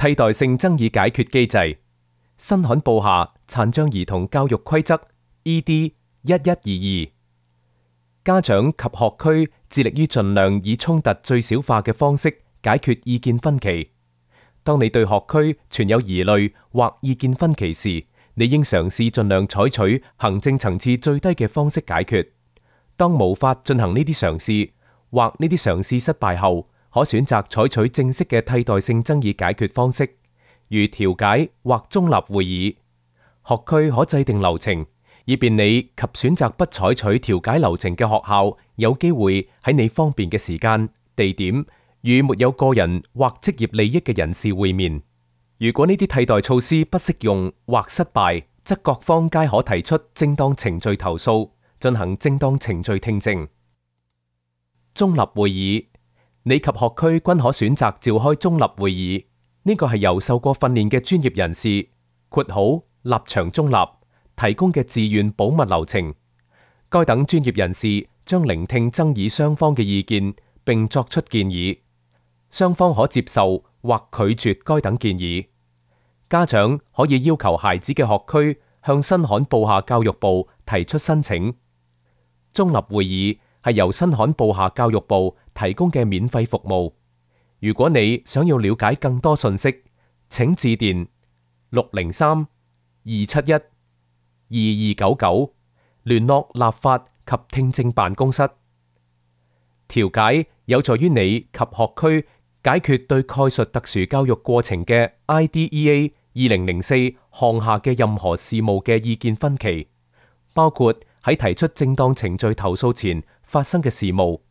替代性爭議解決機制，新罕布夏殘障兒童教育規則 ED1122。家長及學區致力於盡量以衝突最小化嘅方式解決意見分歧。當你對學區存有疑慮或意見分歧時，你應嘗試盡量採取行政層次最低嘅方式解決。當無法進行呢啲嘗試，或呢啲嘗試失敗後，可選擇採取正式嘅替代性爭議解決方式，如調解或中立會議。學區可制定流程，以便你及選擇不採取調解流程嘅學校有機會喺你方便嘅時間、地點與沒有個人或職業利益嘅人士會面。如果呢啲替代措施不適用或失敗，則各方皆可提出正當程序投訴，進行正當程序聽證。中立會議，你及學區均可選擇召開中立會議。呢個係由受過訓練嘅專業人士（括號立場中立）提供嘅自願保密流程。該等專業人士將聆聽爭議雙方嘅意見，並作出建議。雙方可接受或拒絕該等建議。家長可以要求孩子嘅學區向新罕布夏教育部提出申請。中立會議係由新罕布夏教育部提供嘅免費服務。如果你想要了解更多信息，請致電603-271-2299聯絡立法及聽證辦公室。調解有助於你及學區解決對概述特殊教育過程嘅 IDEA 2004項下嘅任何事務嘅意見分歧，包括喺提出正當程序投訴前發生嘅事務。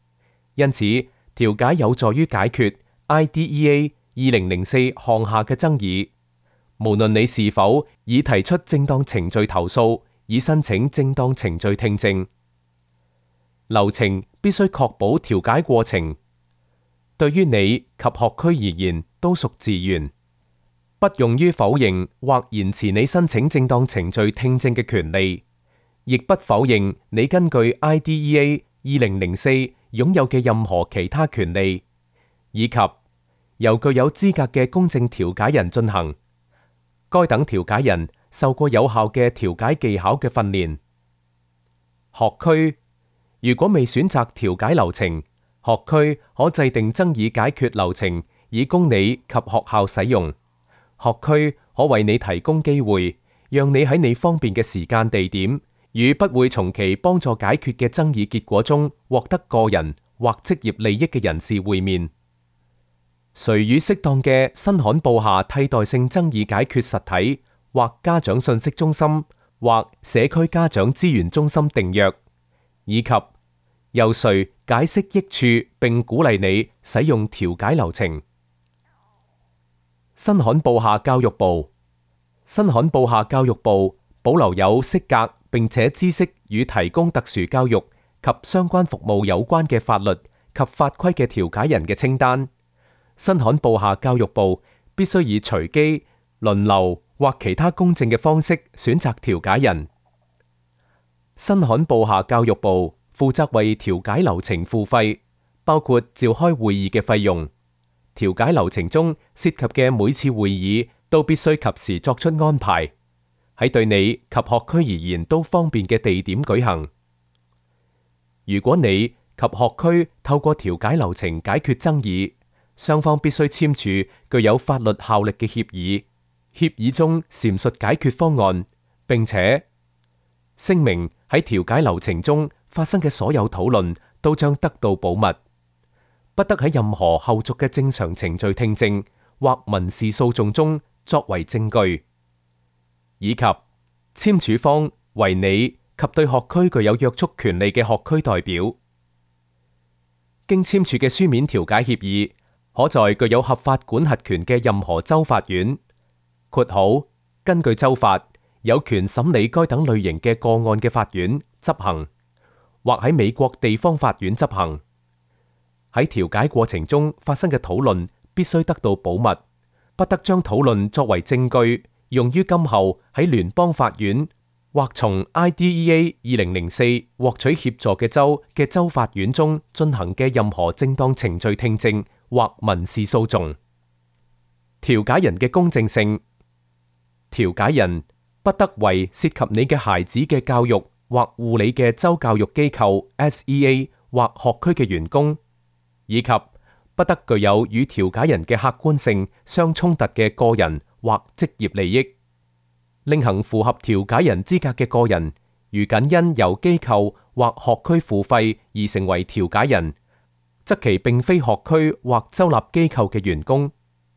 因此，調解有助於解決 IDEA 2004項下嘅爭議。無論你是否已提出正當程序投訴，以申請正當程序聽證，流程必須確保調解過程對於你及學區而言都屬自願，不用於否認或延遲你申請正當程序聽證嘅權利，亦不否認你根據 IDEA 2004擁有嘅任何其他權利，以及由具有資格嘅公正調解人進行。該等調解人受過有效嘅調解技巧嘅訓練。學區如果未選擇調解流程，學區可制定爭議解決流程，以供你及學校使用。學區可為你提供機會，讓你喺你方便嘅時間、地點，與不會從其幫助解決嘅爭議結果中獲得個人或職業利益嘅人士會面。誰與適當嘅新罕布夏替代性爭議解決實體或家長信息中心或社區家長資源中心訂約，以及由誰解釋益處並鼓勵你使用調解流程。新罕布夏教育部，新罕布夏教育部保留有適格並且知識與提供特殊教育及相關服務有關嘅法律及法規嘅調解人嘅清單。新罕布夏教育部必須以隨機、輪流或其他公正嘅方式選擇調解人。新罕布夏教育部負責為調解流程付費，包括召開會議嘅費用。調解流程中涉及嘅每次會議都必須及時作出安排，喺對你及學區而言都方便嘅地點舉行。如果你及學區透過調解流程解決爭議，雙方必須簽署具有法律效力嘅協議，協議中闡述解決方案，並且聲明喺調解流程中發生嘅所有討論都將得到保密，不得喺任何後續嘅正常程序聽證或民事訴訟中作為證據，以及簽署方為你及對學區具有約束權利嘅學區代表。經簽署嘅書面調解協議可在具有合法管轄權嘅任何州法院（括號根據州法有權審理該等類型嘅個案嘅法院）執行，或喺美國地方法院執行。喺調解過程中發生嘅討論必須得到保密，不得將討論作為證據用於今後喺聯邦法院或從 IDEA 2004獲取協助嘅州嘅州法院中進行嘅任何正當程序聽證或民事訴訟。調解人嘅公正性。調解人不得為涉及你嘅孩子嘅教育或護理嘅州教育機構 SEA 或學區嘅員工，以及不得具有與調解人嘅客觀性相衝突嘅個人或職業利益。另行符合調解人資格嘅個人，如僅因由機構或學區付費而成為調解人，則其並非學區或州立機構嘅員工，